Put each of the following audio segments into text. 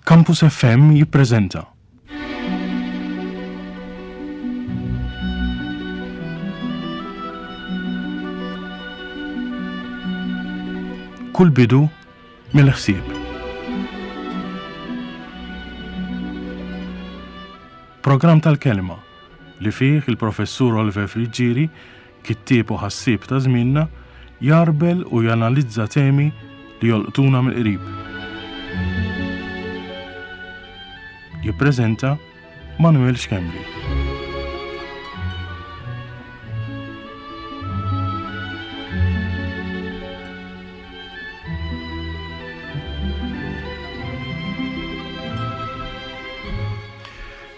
Campus FM jippreżenta. Kull bidu mill-ħsieb. Programm tal-kelma li fih il-Professur Oliver Friggieri, kittieb u ħassieb ta' żmienna, jgħarbel u janalizza temi li jolqtuna mill-qrib. Jippreżenta Manuel Schembri.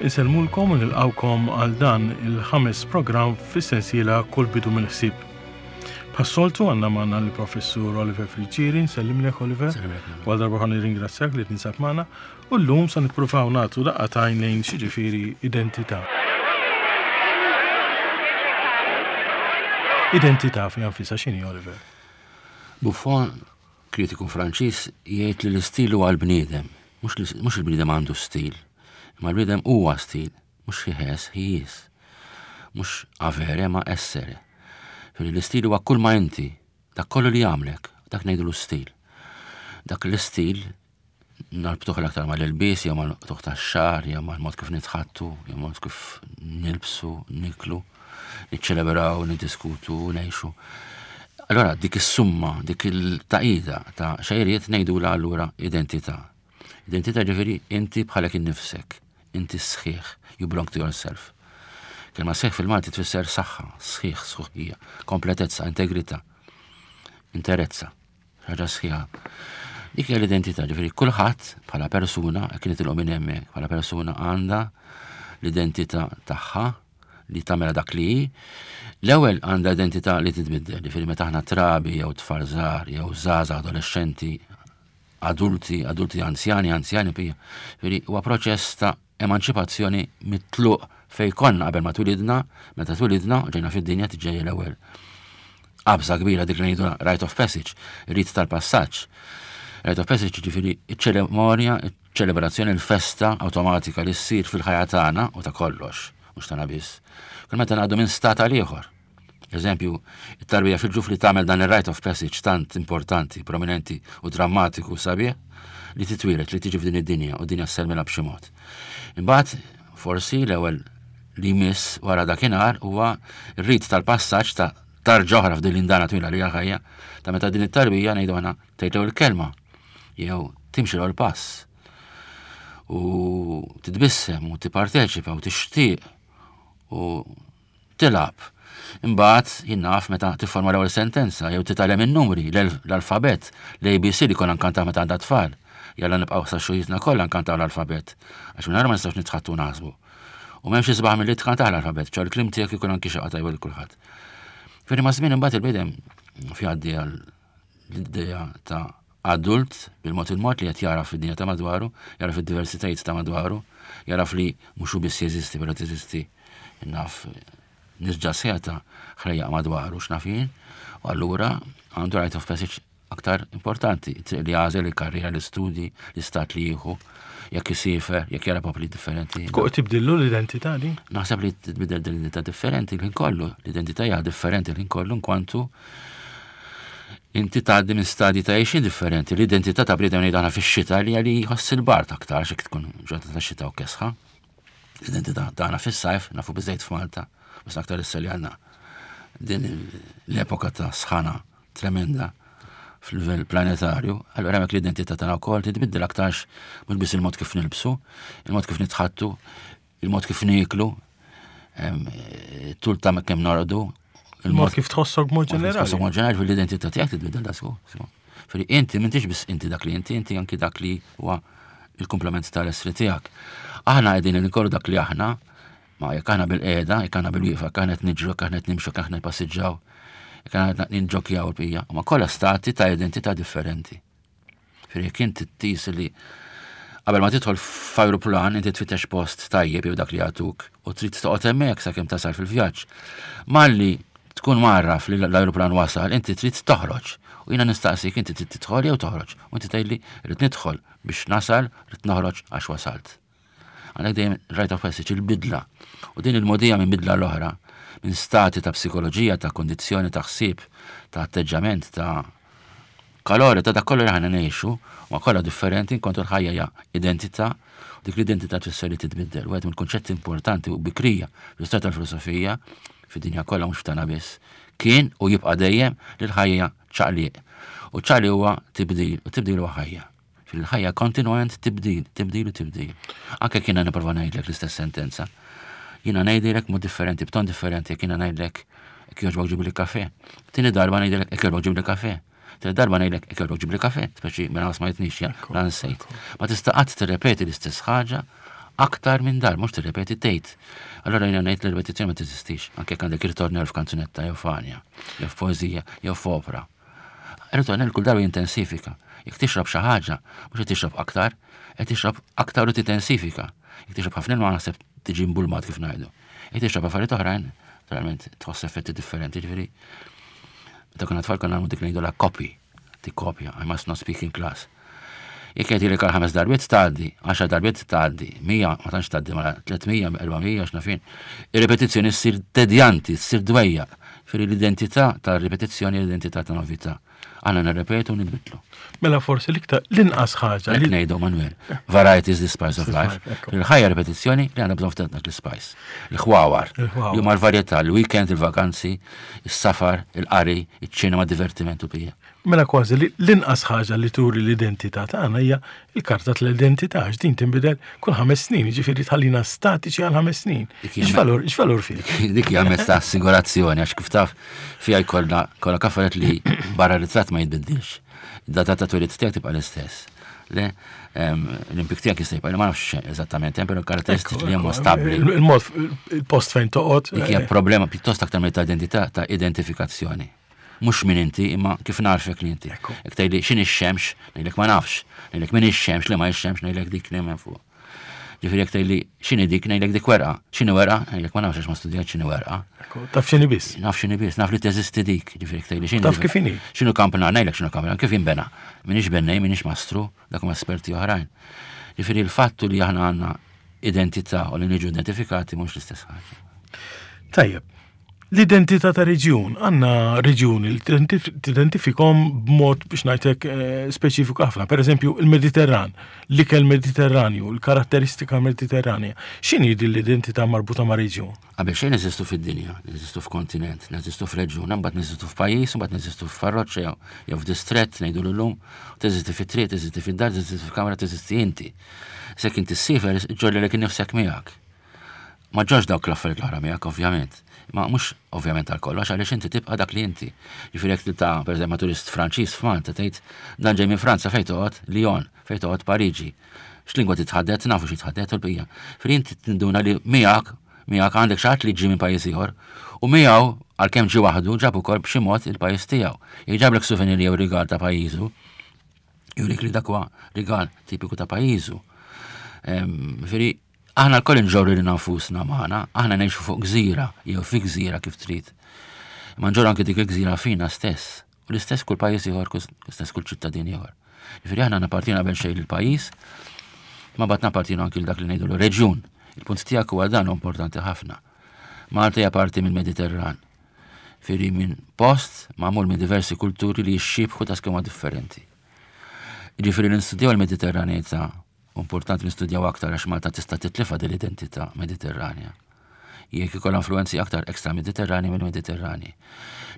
Insellmulkom u nilqawkom għal dan il-ħames programm fis-sensiela Kull bidu mill-ħsieb. Bħas-soltu għandna magħna l-Professur Oliver Friggieri, nsellimlek Oliver. Għal darba ħa nirringrazzjak li tinsab magħna u llum se nippruvaw nagħtu daqqa t'għajn lejn x'jiġifieri identità. Identità fiha nfisha x'inhi Oliver? Buffon, kritiku Franċiż, jgħid li l-istil huwa l-bniedem. Mhux il-bniedem għandu stil, imma l-bniedem huwa stil, mhux he has, he is. Mhux avere ma essere. Ġifieri l-istil huwa kull ma inti, dak kollu li jagħmlek, dak ngħidulu stil. Dak l-istil narbtuh l-aktar mal-ilbies, jew mal-qtugħ tax-xagħar, jew mal-mod kif nitħattu, jew mod kif nilbsu, niklu, niċċelebraw, niddiskutu, ngħixu. Allora dik is-summa, dik il-taqida ta' xejriet ngħidula allura identità. Identità ġifieri inti bħalek innifsek, inti sħiħ, you belong to yourself. Kelma sħiħ fil-Malti tfisser saħħa, sħiħ, sħuħija, kompletezza, integrità, interezza, ħaġa sħiħa. Dik hija l-identità, ġifieri kulħadd bħala persuna, jekk nitilqu minn hemmhekk, bħala persuna għandha l-identità tagħha li tagħmilha dak li hi. L-ewwel għandha identità li titbiddel, ġifieri meta aħna trabi jew tfal żgħar jew żgħażagħ adolescenti, adulti, adulti anzjani, anzjani pija. Ġifieri huwa proċess ta' emanċipazzjoni mit-tluq fej konna qabel ma twilidna, meta twilidna ġejna fid-dinja tiġġejja l-ewwel qabża kbira dik li ngħidu rite of passage, rit tal-passaġġ. Rite of passage ġifieri iċ-ċerimonja, ċelebrazzjoni l-festa awtomatika li ssir fil-ħajja tagħna u ta' kollox, mhux tagħna biss. Kull meta ngħaddu minn stat għal ieħor. Eżempju, it-tarbija fil-ġuf li tagħmel dan ir-rite of passage tant importanti, prominenti u drammatiku sabiħ li titwieled li tiġi f'din id-dinja u dinja sselmilha b'xi mod. Imbagħad, forsi l-ewwel li jmiss wara dakinhar huwa r-rit tal-passaġġ ta' tarġa oħra f'din l-indana twila li hija ħajja ta' meta din it-tarbija ngħidu aħna tgħid l-ewwel kelma jew timxi l pass u titbissem u tipparteċipa u tixtieq u tilgħab. Imbagħad jien naf meta tifforma l-ewwel sentenza jew titgħallem in-numri, l-alfabett, l-ABC li konna nkantaw meta għandha tfal. Jalla nibqgħu sa xujitna kollha nkantaw l-alfabett għax mingħajr ma nistgħux nitħattu naħsbu. U m'hemmx isbaħ milli tkantah l-alfabett, ċo l-kliem tiegħek ikun anki xi tajba lil kulħadd. Ferri ma' żmien imbagħad il-bniedem fjaddi għal l-idea ta' adult bil-mod il-mod li qed jaraf id-dinja ta' madwaru, jaraf id-diversitajiet ta' madwaru, jaraf li mhux hu biss jeżisti, però teżisti naf nisġa sħiħa ta' ħlejjaq madwaru x'naf jien, u allura għandu right of passage aktar importanti, triq li għażel il-karriera, l-istudji, l-istat li jieħu, jekk isiefer, jekk jara popli differenti. Tkun tibdillu l-identità di? Naħseb li tibdil l-identità differenti l-ħin kollu, l-identità hija differenti l-ħin kollu nkwantu inti tgħaddi minn stadji ta' għejxin differenti. L-identità ta' bniedem ngħidu aħna fix-xita li għali jħoss il-bard aktar xi tkun ġurnata ta' xita u kesħa. L-identità tagħna fis-sajf nafu biżejt f'Malta, bas aktar issa li għandna din l-epoka ta' sħana tremenda fil-livell planetarju, allura hemmhekk l-identità tagħna wkoll titbiddel aktarx mhux biss il-mod kif nilbsu, il-mod kif nitħattu, il-mod kif nieklu, tul ta' kemm norqdu, il-mod kif tħossok mod ġenerali. Tħossok mod ġenerali fil-identità tiegħek titbiddel da sku. Feri inti m'intix biss inti dak li inti, inti anki dak li huwa il-komplement tal-essri tiegħek. Aħna qegħdin inkollu dak li aħna, ma jekk aħna bil-qiegħda, jekk aħna bil-wieqfa, jekk aħna qed niġru, jekk aħna qed nimxu, jekk aħna passiġġaw, jekk aħna qed ninġokjaw il-bqija, huma kollha stati ta' identità differenti. Firri jekk inti tqis li qabel ma tidħol f'ajruplan inti tfittex post tajjeb jew dak li jagħtuk u trid toqgħod hemmhekk sakemm tasal fil-vjaġġ. Malli tkun marraf li l-ajruplan wasal, inti trid toħroġ. U jiena nistaqsik inti trid tidħol jew toħroġ. U inti tgħidli rrid nidħol biex nasal, rrid noħroġ għax wasalt. Għandek dejjem rite of passage, il-bidla. U din il-mogħdija minn bidla l-oħra, minn stati ta' psikoloġija, ta' kondizzjoni, ta' ħsieb, ta' atteġġament, ta' kalori, ta' dak kollu li aħna ngħixu, ma kollha differenti, inkontu l-ħajja hija identità, u dik l-identità tfisser li titbiddel. Wieħed mill-kunċetti importanti u bikrija fl-istorja tal-filosofija, fid-dinja kollha mhux f'tagħna biss, kien u jibqa' dejjem li l-ħajja hija ċaqliq. U ċaqliq huwa tibdil, u tibdil huwa ħajja. Fil-ħajja kontinwament tibdil, tibdil u tibdil. Anke kiena nipprova ngħidlek l-istess sentenza. Jiena ngħidilek mod differenti, b'ton differenti, jekk jiena ngħidlek jekk jogħġbok ġibli kafe. Tieni darba ngħidilek jekk jogħġbok ġibli kafe. Tieni darba ngħidlek jekk jogħġbok ġibli kafe, speċi mela ma smajtnix ja, la nsejt. Ma tista' qatt tirrepeti l-istess ħaġa aktar minn dar, mhux tirrepeti tgħid. Allora jiena ngħid li ripetizzjoni ma teżistix, anke jekk għandek ritornell f'kanzunetta jew f'għanja, jew f'poeżija, jew f'opra. Ritornell kull darba jintensifika. Jekk tixrob xi ħaġa, mhux qed tixrob aktar, qed tixrob aktar u tintensifika. Jekk tixrob ħafna ilma naħseb tiġi mbulmat kif ngħidu. Jekk tixrob affarijiet oħrajn, naturalment tħoss effetti differenti, ġifieri. Meta konna tfal konna nagħmlu dik ngħidu la copy, tikkopja, I must not speak in class. Jekk qed jgħidlek għal ħames darbiet tgħaddi, għaxar darbiet tgħaddi, 100 ma tantx tgħaddi mela 300, 400 x'naf jien. Ir-ripetizzjoni ssir tedjanti, ssir dwejjaq. Ġifieri l-identità tar-ripetizzjoni l-identità ta' novità. Aħna nirrepetu u nitbiddlu. Mela forsi l-iktar l-inqas ħaġa. Hekk ngħidu Manuel. Variety is the spice of life. Il-ħajja ripetizzjoni li għandha bżonn ftit dak l-spice. Il-ħwawar. Li huma l-varjetà, il-weekend, il-vakanzi, is-safar, il-qari, iċ-ċinema, divertiment u bija. Mela kważi li l-inqas ħaġa li turi l-identità tagħna hija l-karta tal-identità għax din tinbidel kull ħames snin, jiġifieri tħallina statiċi għal ħames snin. X'valur, x'valur fih? Dik hija mezz ta' assigurazzjoni għax kif taf fiha jkollna kollha kaffaret li barra ritratt ma jitbiddilx. Id-data ta' twelid tiegħek tibqa' l-istess. Le, l-impik tiegħek jista' jibqa' ma nafx eżattament hemm però karatteristiċi li huma stabbli. Il-mod il-post fejn toqgħod. Dik hija problema pjuttost aktar mill ta' identità ta' identifikazzjoni. Mhux min inti, imma kif narfek li inti. Jekk tgħidli x'inhi x-xemx, ngħidlek ma nafx. Ngħidlek min ix-xemx, li ma x-xemx, ngħidlek dik li hemm fuq. Ġifieri jekk tgħidli x'inhi dik, ngħidlek dik werqa. X'inhi werqa? Ngħidlek ma nafx għax ma studjajt x'inhi werqa. Taf x'inhi biss. Naf x'inhi biss, naf li teżisti dik. Ġifieri jekk tgħidli x'inhi. Taf kif inhi. X'inhu kampnar, ngħidlek x'inhu kampnar, kif jinbena. Minix bennej, minix mastru, dak huma esperti oħrajn. Ġifieri l-fattu li aħna għandna identità u li niġu identifikati mhux l-istess ħaġa. Tajjeb, L-identità ta' reġjun, għandna reġjuni li tidentifikhom b'mod biex ngħidlek eh, speċifiku ħafna. Per eżempju, il-Mediterran, l-ikel Mediterranju, l-karatteristika Mediterranja. X'inhi din l-identità marbuta ma' reġjun? Qabel xejn neżistu fid-dinja, neżistu f'kontinent, neżistu f'reġjun, imbagħad neżistu f'pajjiż, imbagħad neżistu f'parroċċa jew f'distrett ngħidu llum, teżisti fit-triq, teżisti fid-dar, teżisti fil-kamra, teżisti inti. Sekk inti ssifer, ġorri nifsek miegħek. Ma ġorrx dawk l-affarijiet l-oħra miegħek ovvjament. Imma mhux ovvjament għal kollox għaliex inti tibqa' dak li inti. Ġifieri jekk tiltaqa' pereżempju ma' turist Franċiż f'Malta tgħid dan ġej minn Franza fejn toqgħod? Lyon, fejn toqgħod Pariġi. X'lingwa titħaddet? Nafu xi tħaddet u l-bqija. Ġifieri inti tinduna li miegħek miegħek għandek xi ħadd li ġie minn pajjiż ieħor u miegħu għalkemm ġie waħdu ġab ukoll b'xi mod il-pajjiż tiegħu. Jekk ġablek souvenir jew rigal ta' pajjiżu, jurik li dak huwa rigal tipiku ta' pajjiżu. Ġifieri Aħna lkoll inġorru lilna nfusna magħna, aħna ngħixu fuq gżira, jew fi gżira kif trid. Imma nġorru anki dik il-gżira fina stess. U l-istess kull pajjiż ieħor, l-istess kull ċittadin ieħor. Ġifieri aħna nappartienu qabel xejn lill-pajjiż, ma mbagħad nappartienu anki dak li ngħidu reġjun. Il-punt tiegħek huwa dan importanti ħafna. Malta hija parti mill-Mediterran. Firri minn post magħmul minn diversi kulturi li jixxiebħu ta' skema differenti. Ġifieri nistudjaw il-Mediterranità U importanti nistudjaw aktar għax Malta tista' titlifha din l-identità Mediterranja. Jekk ikollha influenzi aktar ekstra Mediterrani minn Mediterrani.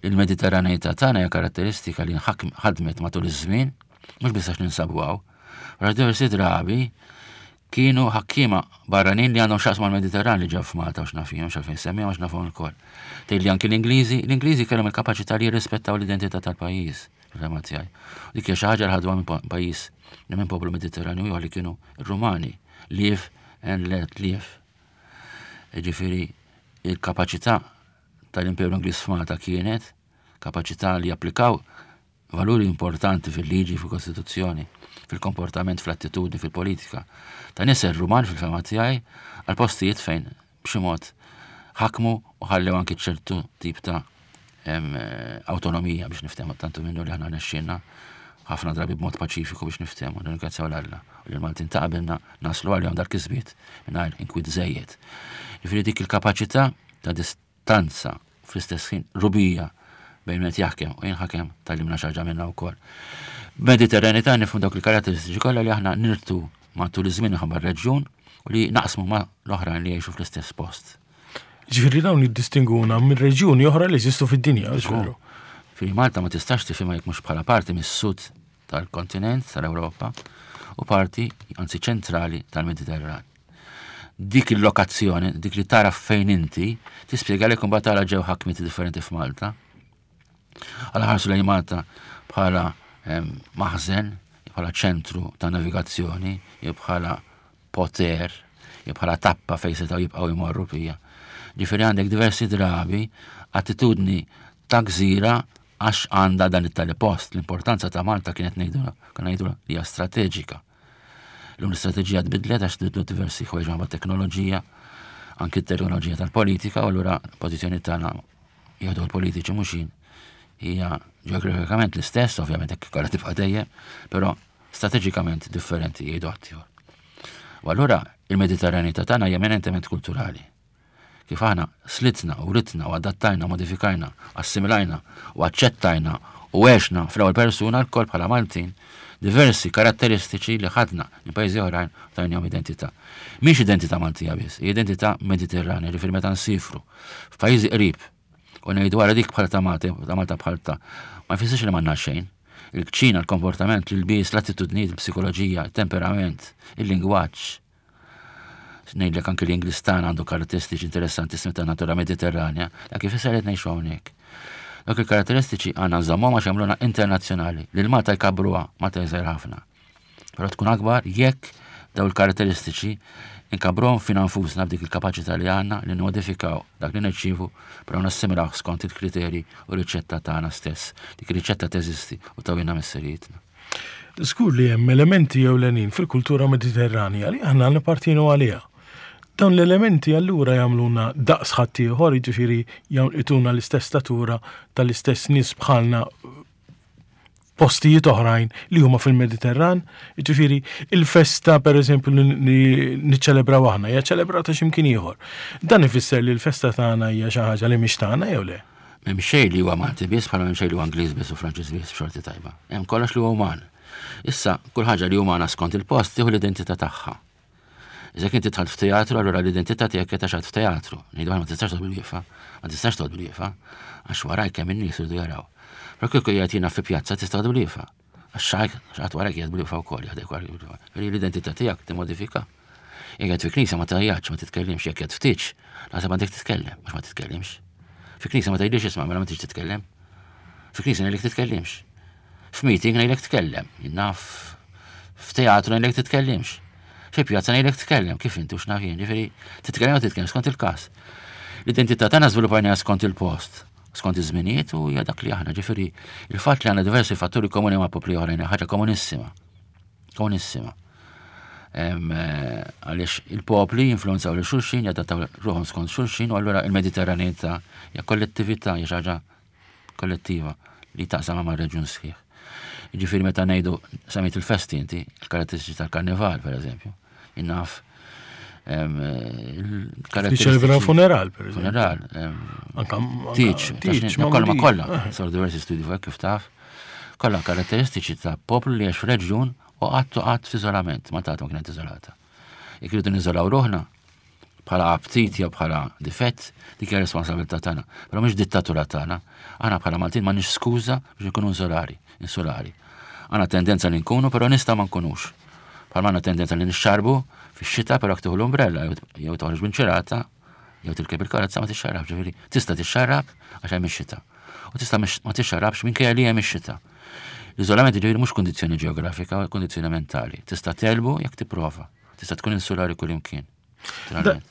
Il-Mediterraneità tagħna hija karatteristika li ħadmet matul iż-żmien, mhux biss għax ninsabu hawn, wara diversi drabi kienu ħakkiema barranin li għandhom xaqs mal-Mediterran li ġew f'Malta u x'naf jien, x'għalfejn semmihom għax nafhom ilkoll. Tgħid li anki l-Ingliżi, l-Ingliżi kellhom il-kapaċità li jirrispettaw l-identità tal-pajjiż. Fil-fehma tiegħi. Dik hija xi ħaġa li ħadwa minn pajjiż li minn poplu Mediterranju ieħor li kienu r-Rumani, live and let live. Ġifieri il-kapaċità tal-Imperu Ingliż f'Malta kienet kapaċità li japplikaw valuri importanti fil-liġi, fil-Kostituzzjoni, fil-komportament, fl-attitudni, fil-politika. Ta' nisel Ruman fil-fema tiegħi għal postijiet fejn b'xi mod ħakmu u ħallew anki ċertu tip ta' Awtonomija biex niftehmu tantu minnu li aħna rnexxielna ħafna drabi b'mod paċifiku biex niftehmu, nirringrazzjaw 'l Alla u li l-Maltin ta' qabilna naslu għalihom dal-kisbiet mingħajr inkwiet żejjed. Jiġifieri dik il-kapaċità ta' distanza fl-istess ħin rubija bejn min qed jaħkem u jinħakem tgħallimna xi ħaġa minnha wkoll. Mediterranità nifhmu dawk il-karatteristiċi kollha li aħna nirtu matul iż-żmien minħabba r-reġjun u li naqsmu ma' l-oħrajn li jgħixu fl-istess post. Ġifieri dawn jiddistinguna minn reġjuni oħra li jeżistu fid-dinja, veru. Fi Malta ma tistax tifhimha jekk mhux bħala parti mis-sud tal-kontinent tal-Ewropa u parti, anzi ċentrali tal-Mediterran. Dik il-lokazzjoni, dik li tara fejn inti, tispjega li kumbat tara ġew ħakmiet differenti f'Malta. Għala ħarsu lejn Malta bħala ehm, maħżen, bħala ċentru ta' navigazzjoni, jew bħala poter, jew bħala tappa fejn setgħu jibqgħu jmorru fija. Ġifieri għandek diversi drabi attitudni ta' gżira għax għandha dan it-tali post. L-importanza ta' Malta kienet ngħidu kien ngħidu li hija strateġika. L-lum l-istrateġija tbidlet għax tbidlu diversi ħwejġ ma' teknoloġija, anki t-teknoloġija tal-politika, u allura pożizzjoni tagħna jgħidu l-politiċi mhux jien hija ġeografikament l-istess, ovvjament hekk kollha tibqa' dejjem, però strateġikament differenti jgħidu ħaddieħor. U allura il-Mediterranità tagħna hija eminentement kulturali. Kif aħna slitna u ritna u adattajna, modifikajna, assimilajna u aċċettajna u għexna fl-ewwel persuna lkoll bħala Maltin diversi karatteristiċi li ħadna minn pajjiżi oħrajn u tajnihom identità. Mhix identità Maltija biss, hija identità Mediterranja, ġifieri meta nsifru f'pajjiżi qrib u ngħidu wara dik bħal ta' Malta, ta' Malta bħal ta' ma jfissirx li m'għandna xejn. Il-kċina, il-komportament, l-ilbies, l-attitudnijiet, il-psikoloġija, il-temperament, il-lingwaġġ. Ngħidlek anke l-Ingliż tagħna għandu karatteristiċi interessantissimi ta' natura Mediterranja, dak ifisser qed ngħixu hawnhekk. Dawk il-karatteristiċi għandna nżommhom għax jagħmluna internazzjonali. Lil Malta jkabbruha, Malta jżgħir ħafna. Però tkun akbar jekk daw il-karatteristiċi inkabbruhom fina nfusna b'dik il-kapaċità li għandna li nmodifikaw dak li nirċievu però nassimilaw skont il-kriterji u riċetta tagħna stess. Dik ir-riċetta teżisti u tawilna missirijietna. Żgur li hemm elementi ewlenin fil-kultura Mediterranja li aħna nippartienu għaliha. Dawn l-elementi allura jagħmluna daqs ħaddieħor, jiġifieri jagħtuna l-istess statura tal-istess nies bħalna postijiet oħrajn li huma fil-Mediterran. Jiġifieri il-festa pereżempju li niċċelebraw aħna hija ċelebrata x'imkien ieħor. Dan ifisser li l-festa tagħna hija xi ħaġa li mhix tagħna jew le? M'hemm xejn li huwa Malti biss bħala m'hemm xejn li huwa Ingliż biss u Franċiż biss b'xorti tajba. Hemm kollox li huwa uman. Issa, kull ħaġa li umana skont il-post tieħu l-identità tagħha. Iżda inti dħalt f'teatru, allura l-identità tiegħek qed għax f'teatru. Ngħidu ma tistax toqgħod bil-wieqfa, ma tistax toqgħod bil-wieqfa, għax warajk kemm in-nies iridu jaraw. Però kieku qiegħed jiena fi pjazza tista' toqgħod bil-wieqfa. Għax xaħat warajk qiegħed bil-wieqfa wkoll, jaħdek warajk bil-wieqfa. L-identità tiegħek timmodifika. Jekk qed fi knisja ma tgħajjatx, ma titkellimx, jekk qed ftiġ, naħseb għandek titkellem, mhux ma titkellimx. Fi knisja ma tgħidlix isma' mela ma tix titkellem. Fi knisja ngħidlek titkellimx. F'meeting ngħidlek tkellem, naf f'teatru ngħidlek titkellimx. Fi pjazza ngħidlek tkellem, kif inti u x'naf jien, ġifieri titkellem u titkellem skont il-każ. L-identità tagħna żviluppajniha skont il-post, skont iż-żminijiet u hija dak li aħna, ġifieri il-fatt li għandna diversi fatturi komuni ma' popli oħrajn ħaġa komunissima. Komunissima. Eh, għaliex il-popli jinfluenzaw lil xulxin, jadattaw ruħhom skont xulxin, u allura il-Mediterranità hija kollettività, hija xi ħaġa kollettiva li taqsam ma' reġjun sħiħ. Ġifieri meta ngħidu semmejt il-festi inti, il-karatteristiċi tal-karnival pereżempju, innaf il-karatteristiċi. Funeral, per eżempju. Funeral. Tiċ, tiċ, kollha ma kollha, eh. saru diversi studji fuq kif taf. Kollha karatteristiċi ta' poplu li għex f'reġjun u qatt u qatt f'iżolament, ma tagħtu kienet iżolata. Jekk irridu niżolaw ruħna, bħala aptit jew bħala difett, dik hija responsabilità tagħna. Però mhix dittatura tagħna. Aħna bħala Maltin m'għandniex skuża biex nkunu insulari, insulari. Għandna tendenza li nkunu, però nista' ma nkunux. Bħalma għandna tendenza li nixxarbu fix-xita, però jekk tieħu l-umbrella jew toħroġ b'inċirata, jew tirkeb il-karozza ma tixxarrab, ġifieri tista' tixxarrab għax hemm ix-xita. U tista' ma tixxarrabx minkejja li hemm ix-xita. L-iżolament ġifieri mhux kundizzjoni ġeografika, kundizzjoni mentali. Tista' telbu jekk tipprova. Tista' tkun insulari kullimkien.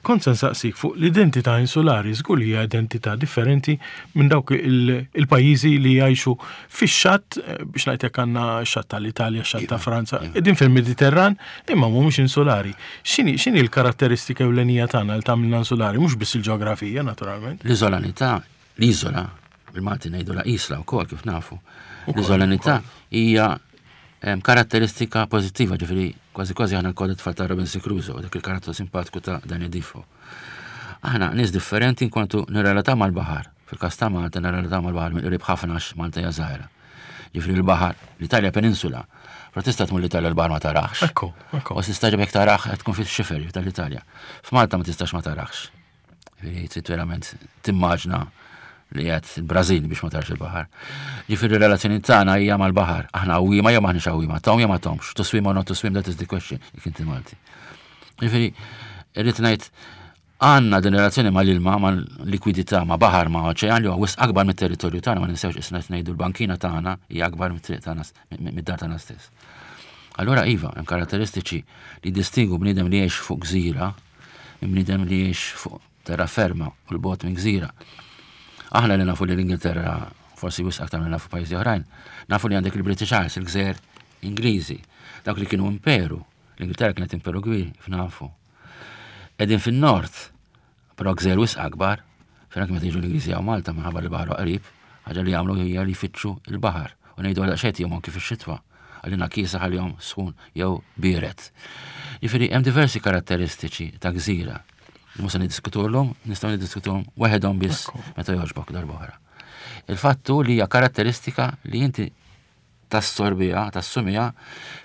Kont se nsaqsik fuq l-identità insulari, żgur li hija identità differenti minn dawk il-pajjiżi li jgħixu fix-xatt, eh, biex ngħid għandna xatt tal-Italja, xatt ta' iva, Franza, iva. qegħdin fil-Mediterran, imma mhumiex insulari. X'inhi l-karatteristika ewlenija tagħna li tagħmilna insulari, mhux biss il-ġeografija naturalment. L-iżolanità, l-iżola. Bil-Malti ngħidu la isla wkoll kif nafu. L-iżolanità hija karatteristika pożittiva, ġifieri kważi kważi aħna lkoll it-tfal ta' Robinson Crusoe, dak il-karattru simpatiku ta' Danny Defoe. Aħna nies differenti inkwantu nirrelataw mal-baħar. Fil-każ ta' Malta nirrelataw mal-baħar mill-qrib ħafna għax Malta hija żgħira. Ġifieri l-baħar, l-Italja peninsula, però tista' tmur l-Italja l-baħar ma tarax. Ekku, ekku. U tista' jekk tarax qed tkun fix-xifer tal-Italja. F'Malta ma tistax ma tarax. Ġifieri trid verament timmaġna li qed il-Brażil biex ma tarax il-baħar. Ġifieri r-relazzjoni tagħna hija mal-baħar. Aħna għawwiema jew m'aħniex għawwiema, tgħum jew ma tgħumx, to swim or not to swim, that is the question, jekk inti Malti. Ġifieri irrid ngħid għandna din relazzjoni mal-ilma, mal-likwidità, ma' baħar, ma' oċean li huwa wisq akbar mit-territorju tagħna, ma ninsewx isna qed ngħidu l-bankina tagħna hija akbar mit-triq tagħna, mid-dar tagħna stess. Allura iva, hemm karatteristiċi li distingu bniedem li jgħix fuq gżira minn bniedem li jgħix fuq terra ferma u l-bot minn gżira. Aħna li nafu li l-Ingilterra forsi wisq aktar minn nafu pajjiżi oħrajn, nafu li għandek il-British Isles, il-gżejjer Ingliżi, dawk li kienu imperu. L-Ingilterra kienet imperu kbir, kif nafu. Qegħdin fin-nord, però gżejjer wisq akbar, fejn anke meta jiġu l-Ingliżi hawn Malta minħabba li baħru qrib, ħaġa li jagħmlu hija li jfittxu l-baħar u ngħidu għal daqsxejn tihom anki fix-xitwa. Għalina kiesaħ għalihom sħun jew biered. Jiġifieri hemm diversi karatteristiċi ta' gżira. Mhux se niddiskutuhom, nistgħu niddiskutuhom waħedhom biss meta jogħġbok darb'oħra. Il-fatt hu li hija karatteristika li inti tassorbiha, tassumiha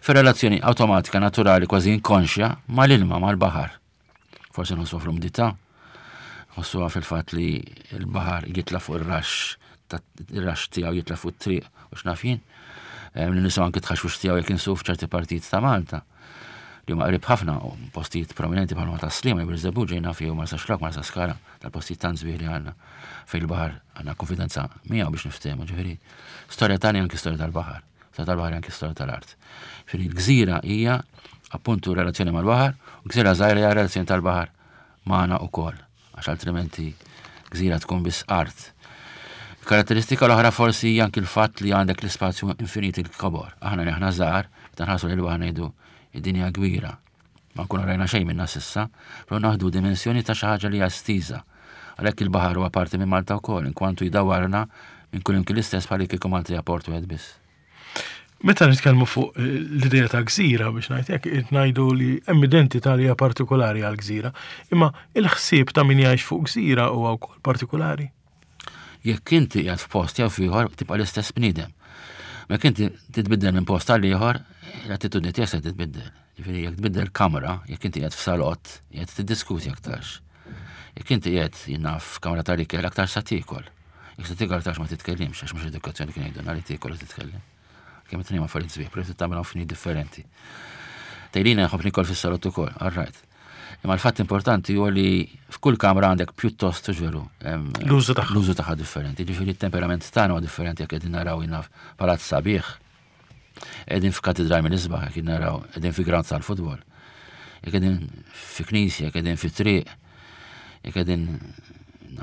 fir-relazzjoni awtomatika, naturali, kważi inkonxja mal-ilma, mal-baħar. Forsi nħossuha fl-umdità, nħossuha fil-fatt li l-baħar jitla' fuq ir-raxx, ir-raxx tiegħu jitla' fuq it-triq u x'naf jien. Li nisimgħu anki tħaxwix tiegħu jekk insuq f'ċerti partijiet ta' Malta li huma qrib ħafna u postijiet prominenti bħal ta' Sliema, jew Birżebbuġa ġejna fih Marsa Xlokk, Marsa Skala, tal-postijiet tant sbieħ li għandna fejn il-baħar għandna konfidenza miegħu biex niftehmu, ġifieri storja tagħna anki storja tal-baħar. Storja tal-baħar anki storja tal-art. Ġifieri l-gżira hija appuntu relazzjoni mal-baħar u gżira żgħira hija relazzjoni tal-baħar magħna wkoll, għax altrimenti gżira tkun biss art. Karatteristika l-oħra forsi hija anki l-fatt li għandek l-ispazju infinit il-kobor. Aħna li aħna żgħar, meta nħarsu lil baħar ngħidu id-dinja kbira. Ma nkunu rajna xejn minna s'issa, però naħdu dimensjoni ta' xi ħaġa li hija estiża. Għalhekk il-baħar huwa parti minn Malta wkoll, inkwantu jdawwarna minn kull imkien l-istess bħal kieku Malta hija port wieħed biss. Meta nitkellmu fuq eh, l-idea ta' gżira biex ngħid hekk, qed ngħidu li hemm identità li hija partikolari għal gżira, imma il-ħsieb ta' min jgħix fuq gżira huwa wkoll partikolari. Jekk inti qiegħed f'post jew f'ieħor tibqa' l-istess bniedem. Ma jekk inti titbiddel minn post għal ieħor, l-attitudni tiegħek se titbiddel. Ġifieri jekk tbiddel kamra, jekk inti qiegħed f'salott, qiegħed tiddiskuti aktarx. Jekk inti qiegħed jiena f'kamra tal-ikel aktar sa tiekol. Jekk se tiekol aktarx ma titkellimx għax mhux edukazzjoni kien jgħidulna li tiekol u titkellem. Kemm it-tnejn affarijiet sbieħ, però tagħmilhom f'nid differenti. Tgħidilna nħobb nikol fis-salott ukoll, all right. Imma l-fatt importanti huwa li f'kull kamra għandek pjuttost veru. L-użu tagħha. L-użu tagħha differenti. Ġifieri t-temperament tagħna huwa differenti jekk qegħdin naraw jiena palazz sabiħ. Qegħdin f'katedral minn isbaħ, jekk naraw qegħdin fi ground tal-futbol. Jekk qegħdin fi knisja, jekk qegħdin fi triq, jekk qegħdin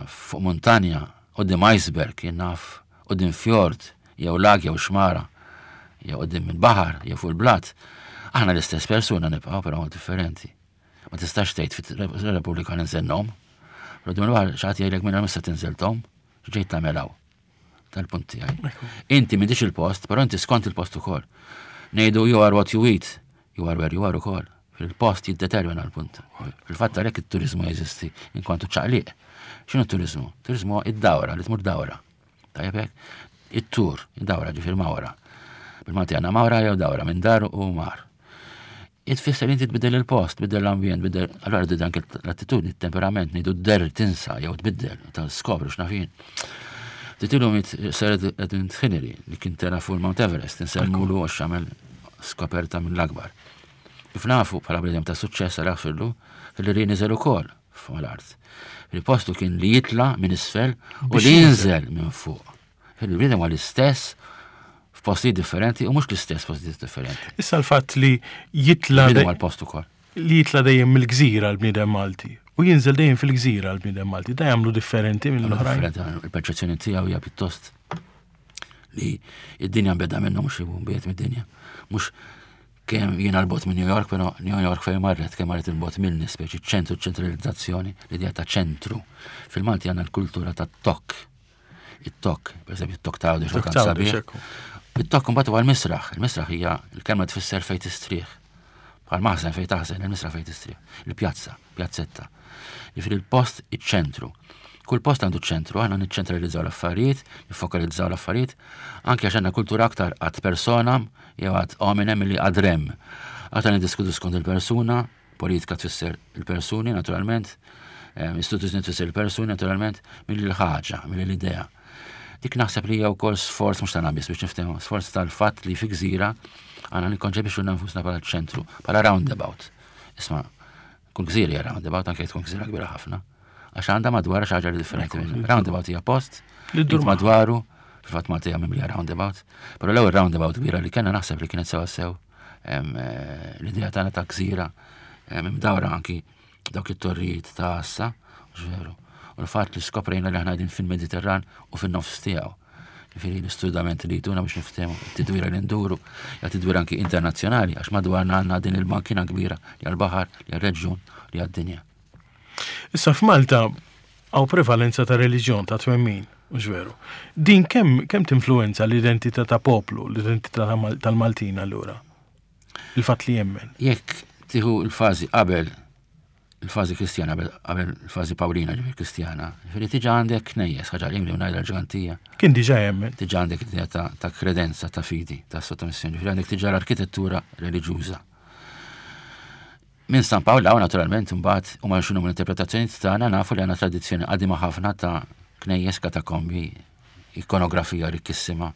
fuq montanja, qudiem iceberg, jien naf, quddiem fjord, jew lag jew xmara, jew quddiem il-baħar, jew fuq il-blat, aħna l-istess persuna nibqgħu però differenti. Ma tistax tgħid fit-Repubblika ninżel nom. Però quddiem il-baħar xi ħadd jgħidlek minn mista tinżel tom, x'ġejt tagħmel hawn. Tal-punt tiegħi. Inti m'intix il-post, però inti skont il-post ukoll. Ngħidu you are what you eat, you are where you are ukoll. Fil-post jiddetermina l-punt. Fil-fatt għalhekk it-turiżmu jeżisti inkwantu ċaqliq. X'inhu t-turiżmu? Turiżmu id-dawra li tmur dawra. Tajjeb hekk? It-tur, id-dawra ġifier mawra. Bil-Malti għandna mawra jew dawra minn dar u mar. Itfisser inti tbiddel il-post, tbiddel l-ambjent, tbiddel, allora tbiddel anke l-attitudni, il-temperament, ngħidu d-der tinsa jew tbiddel, ta' skopru x'naf jien. Titilu mit Sir Edmund Hillary li kien tela fuq il-Mount Everest, insemmulu għax għamel skoperta mill-akbar. Kif nafu bħala bniedem ta' suċċess għal fillu, Hillary niżel ukoll fuq l-art. Il-postu kien li jitla minn isfel u li jinżel minn fuq. Il-bniedem huwa l-istess f'postijiet differenti u mhux l-istess f'postijiet differenti. Issa l-fatt li jitla' Bniedem għal post ukoll. Li jitla' dejjem mill-gżira l-bniedem Malti u jinżel dejjem fil-gżira l-bniedem Malti, da jagħmlu differenti mill-oħrajn. Il-perċezzjoni tiegħu hija pjuttost li id-dinja beda minnu mhux biet mid-dinja. Mhux Kemm jiena 'l bogħod minn New York, però New York fejn marret, kemm marret 'il bogħod minni, speċi ċentru ċentralizzazzjoni, l-idea ta' ċentru. Fil-Malti għandna l-kultura ta' tokk. It-tokk, per eżempju, it-tokk ta' għawdex tant sabiħ. It-tokk mbagħad huwa l-misraħ. Il-misraħ hija l-kelma tfisser fejn tistrieħ. Bħal maħżen fejn taħżen, il-misraħ fejn tistrieħ. Il-pjazza, pjazzetta. Jiġifieri l-post iċ-ċentru. Kull post għandu ċentru, aħna niċċentralizzaw l-affarijiet, niffokalizzaw l-affarijiet, anke għax għandna kultura aktar ad personam jew ad hominem milli ad rem. Aktar niddiskutu skont il-persuna, Politika tfisser il-persuni, naturalment, istituzzjoni tfisser il-persuni, naturalment, milli l-ħaġa, milli l-idea. Dik naħseb li hija wkoll sforz mhux tagħna biss biex niftehmu, sforz tal-fatt li fi gżira għandna nikkonċepixxu nfusna bħala ċentru, bħala roundabout. Isma' kull gżira hija roundabout anke tkun gżira kbira ħafna. Għax għandha madwar xi ħaġa differenti minn roundabout hija post li ddur madwaru, fil-fatt Malta hija mimlija roundabout, però l-ewwel roundabout kbira li kellna naħseb li kienet sewa sew Eh, l-idea tagħna ta' gżira imdawra anki dawk it-torrijiet ta' għassa, veru. U l-fatt li skoprejna li aħna qegħdin fil-Mediterran u fin-nofs tiegħu. Ġifieri l-istudament li jtuna biex niftehmu tidwira li nduru, ja tidwira anki internazzjonali għax madwarna għandna din il-bankina kbira li għall-baħar, li għall-reġjun, li għad-dinja. Issa f'Malta hawn prevalenza ta' reliġjon ta' twemmin, mhux veru. Din kemm kemm tinfluwenza l-identità ta' poplu, l-identità tal-Maltin allura? Il-fatt li jemmen. Jekk tieħu l-fażi qabel il-fażi Kristjana qabel il-fażi Pawlina ġifieri Kristjana, ġifieri diġà għandek knejjes, ħaġa li ngħidha l-ġgantija. Kien diġà jemmen. Diġà għandek idea ta', ta kredenza, ta' fidi, ta' sottomissjoni, ġifieri għandek diġà l-arkitettura reliġjuża. Minn San Pawl hawn naturalment imbagħad huma x'inhuma l-interpretazzjonijiet tagħna nafu li għandna tradizzjoni qadima ħafna ta' knejjes, katakombi, ikonografija rikkissima,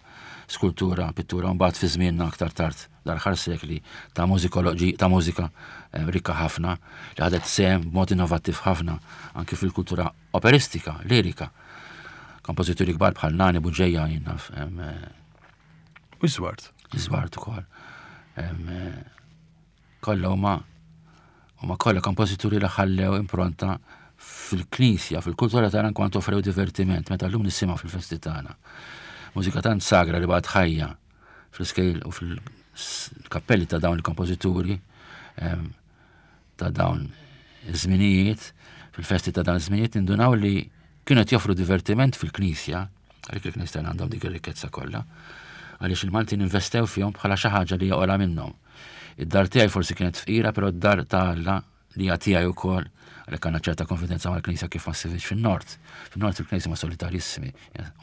skultura, pittura, u mbagħad fi żmienna aktar tard l-aħħar sekli ta' mużikoloġi ta' mużika eh, rikka ħafna li ħadet sehem b'mod innovattiv ħafna anki fil-kultura operistika, lirika. Kompożituri kbar bħal Nani Buġeja jien naf. Eh, U Żwart. Żwart ukoll. Eh, Kollha huma huma kollha kompożituri li ħallew impronta fil-knisja, fil-kultura tagħna kwantu offrew divertiment meta llum nisimgħu fil-festi tagħna. Mużika tant sagra li baqgħet ħajja fl-iskejl u fil-kappelli ta' dawn il-kompożituri ehm, ta' dawn iż-żminijiet, fil-festi ta' dawn iż-żminijiet nindunaw li kienu qed joffru divertiment fil-knisja Għalhekk il-Knisja tagħna għandhom dik ir-rikkezza kollha. Għaliex il-Maltin investew fihom bħala xi ħaġa li hija ogħla minnhom. Id-dar tiegħi forsi kienet fqira, però d-dar ta' Alla li hija tiegħi wkoll, għalhekk għandna ċerta konfidenza mal-Knisja kif ma ssibhiex fin-Nord. Fin-Nord il-Knisja ma solitarissimi,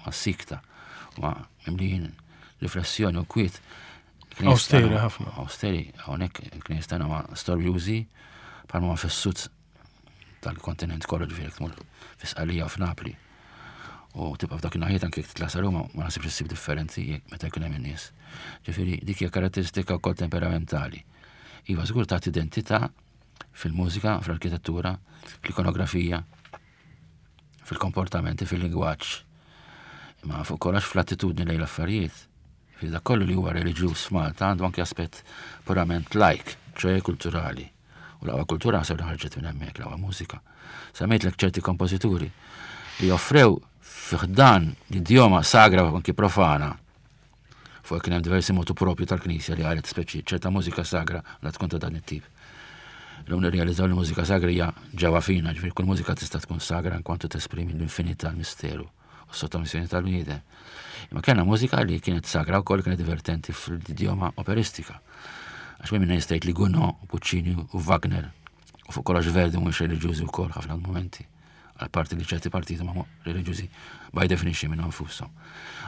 ma sikta, ma mimlijin riflessjoni u kwiet. Austeri ħafna. Austeri, hawnhekk il-Knisja tagħna ma storjużi bħalma ma fis-sud tal-kontinent kollu ġifieri tmur fi Sqallija u f'Napli. U tibqa' f'dak in-naħiet anke jekk titla' sa Ruma ma naħsibx issib differenzi jekk meta jkun hemm in-nies. Ġifieri dik hija karatteristika wkoll temperamentali. Iva żgur tagħti identità fil-mużika, fl-arkitettura, fl-ikonografija, fil-komportamenti, fil-lingwaġġ. Imma fuq kollox fl-attitudni lejn l-affarijiet. Ġifieri dak kollu li huwa reliġjuż f'Malta għandu anke aspett purament lajk, ċoe kulturali. U l-aqwa kultura naħseb li ħarġet minn hemmhekk, l-aqwa mużika. Semmejtlek ċerti kompożituri li offrew fi ħdan l-idjoma sagra u anki profana fuq kien hemm diversi motu propju tal-Knisja li qalet speċi ċerta mużika sagra la tkun ta' dan it-tip. Illum nirrealizzaw li mużika sagra hija ġewwa fina, ġifieri kull mużika tista' tkun sagra inkwantu tesprimi l-infinità l-misteru. u sottomissjoni tal-bniedem. Imma kellna mużika li kienet sagra wkoll kienet divertenti fl-idjoma operistika. Għax minn minna jistajt li Gounod, Puccini u Wagner u fuq kollox Verdi mhux reliġjużi wkoll ħafna momenti għal parti li ċerti partiti ma reliġjużi by definition minn nfushom.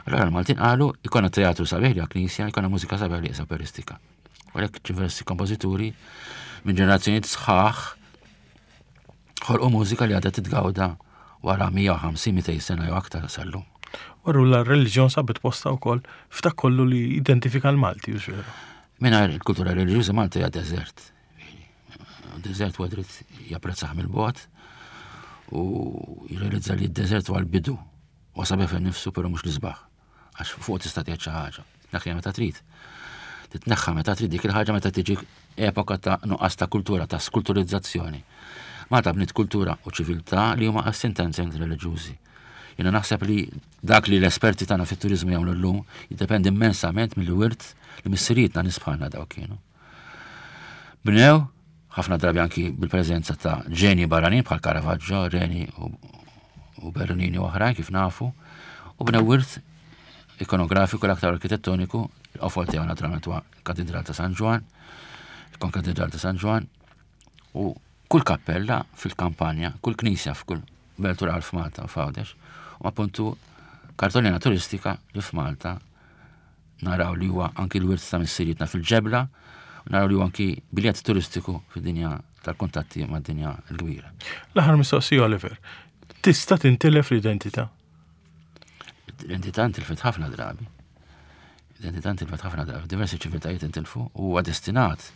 Allora l-Maltin qalu ikonna teatru sabiħ li knisja, ikonna mużika sabiħ li operistika. U għalhekk diversi kompożituri minn ġenerazzjonijiet sħaħ Ħolqu mużika li għadha titgawda wara 150-200 sena jew aktar sal-lum. U allura r-reliġjon sabet postha wkoll f'dak kollu li identifika l-Malti, hux veru? Mingħajr il-kultura reliġjuża Malta hija deżert. Deżert huwa dritt japprezzah mill-bogħod u jirrealizza li d-deżert huwa l-bidu. Huwa sabiħ fih nifsu però mhux l-isbaħ. Għax fuq tista' tgħid xi ħaġa. Tneħħiha meta trid. Titneħħa meta trid dik il-ħaġa meta tiġi epoka ta' nuqqas ta' kultura, ta' skulturizzazzjoni. Malta bniet kultura u ċiviltà li huma essenzialment reliġjużi. Jiena naħseb li dak li l-esperti tagħna fit-turiżmu jagħmlu llum jiddependi immensament mill-wirt li missirietna nies bħalna dawk kienu. Bnew ħafna drabi anki bil-preżenza ta' ġenji barranin bħal Caravaggio, Reni u Bernini u oħrajn kif nafu. U bnew wirt ikonografiku l-aktar arkitettoniku, il-qofol tiegħu naturalment huwa Katedral ta' San Ġwann, il-Konkatedral ta' San Ġwann, u kull kappella fil-kampanja, kull knisja f'kull belt rural f'Malta u f'Għawdex, u appuntu kartolina turistika li f'Malta naraw li huwa anki l-wirt ta' missirietna fil-ġebla, u naraw li huwa anki biljett turistiku fid-dinja tal-kuntatti mad-dinja l-kbira. L-aħħar mistoqsija Oliver, tista' tintilef l-identità? L-identità ntilfet ħafna drabi. L-identità ntilfet ħafna drabi, diversi ċiviltajiet intilfu u huwa destinat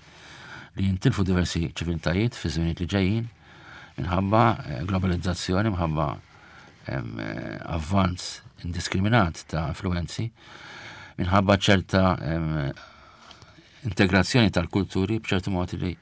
li jintilfu diversi ċiviltajiet fi żminijiet li ġejjin minħabba eh, globalizzazzjoni, minħabba eh, avvanz indiskriminat ta' influenzi, minħabba ċerta integrazzjoni tal-kulturi b'ċertu mod li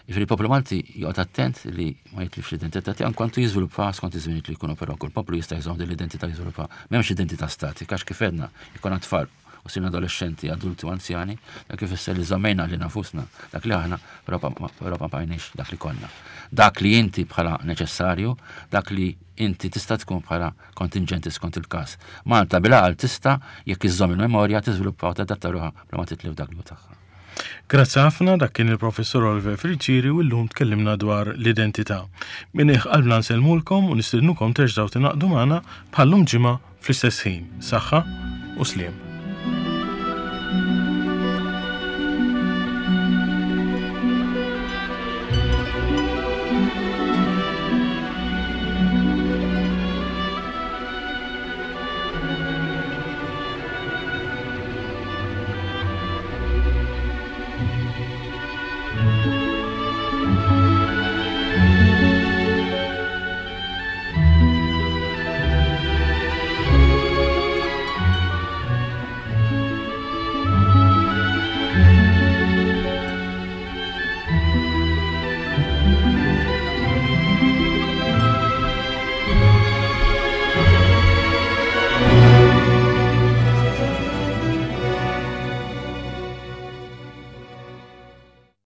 Jiġifieri il-poplu Malti joqgħod attent li ma jitlifx l-identità tiegħu kwantu jiżviluppa skont iż-żminijiet li jkunu però kull poplu jista' jżomm din l-identità jiżviluppa. M'hemmx identità statika għax kif għedna jkun tfal u sirna adolescenti, adulti u anzjani, dak ifisser li żammejna li nafusna dak li aħna, però ma bqajniex dak li konna. Dak li inti bħala neċessarju, dak li inti tista' tkun bħala kontinġenti skont il-każ. Malta bil-għaqal tista' jekk iżżomm il-memorja tiżviluppa u tadatta ruħha bla ma titlef dak li hu tagħha. Grazzi ħafna, dak kien il-Professur Oliver Friggieri u llum tkellimna dwar l-identità. Minn qiegħ qalbna nsellmulkom u nistednukom terġgħu tingħaqdu magħna bħal-lum ġimgħa fl-istess ħin. Saħħa u sliem.